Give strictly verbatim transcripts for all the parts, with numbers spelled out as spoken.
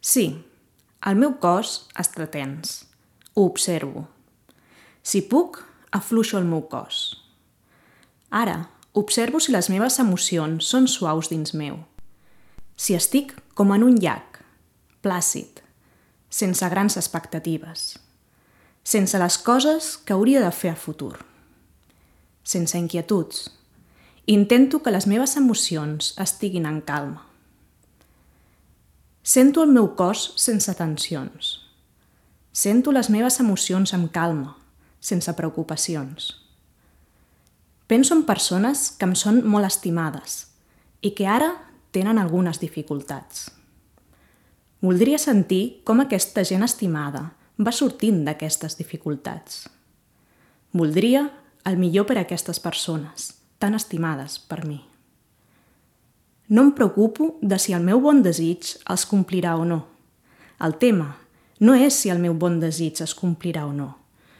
Sí, el meu cos està tens. Ho observo. Si puc, afluixo el meu cos. Ara, observo si les meves emocions són suaus dins meu. Si estic com en un llac, plàcid, sense grans expectatives, sense les coses que hauria de fer a futur, sense inquietuds. Intento que les meves emocions estiguin en calma. Sento el meu cos sense tensions. Sento les meves emocions amb calma, sense preocupacions. Penso en persones que em són molt estimades i que ara tenen algunes dificultats. Voldria sentir com aquesta gent estimada va sortint d'aquestes dificultats. Voldria el millor per a aquestes persones, tan estimades per mi. No em preocupo de si el meu bon desig els complirà o no. El tema no és si el meu bon desig es complirà o no,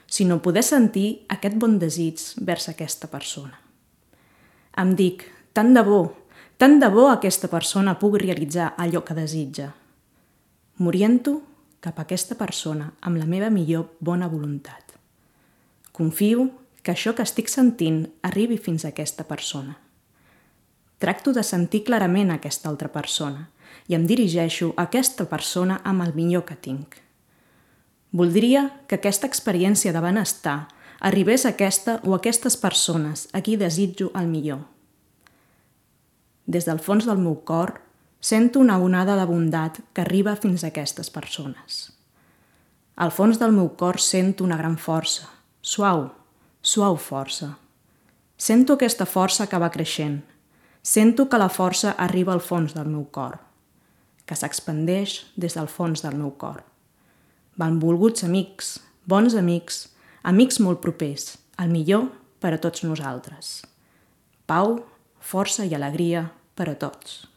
sinó poder sentir aquest bon desig vers aquesta persona. Em dic, tant de bo, tant de bo aquesta persona pugui realitzar allò que desitja. M'oriento cap a aquesta persona amb la meva millor bona voluntat. Confio que això que estic sentint arribi fins a aquesta persona. Tracto de sentir clarament aquesta altra persona i em dirigeixo a aquesta persona amb el millor que tinc. Voldria que aquesta experiència de benestar arribés a aquesta o a aquestes persones a qui desitjo el millor. Des del fons del meu cor sento una onada de bondat que arriba fins a aquestes persones. Al fons del meu cor sento una gran força, suau, suau força. Sento aquesta força que va creixent. Sento que la força arriba al fons del meu cor, que s'expandeix des del fons del meu cor. Benvolguts amics, bons amics, amics molt propers, el millor per a tots nosaltres. Pau, força i alegria per a tots.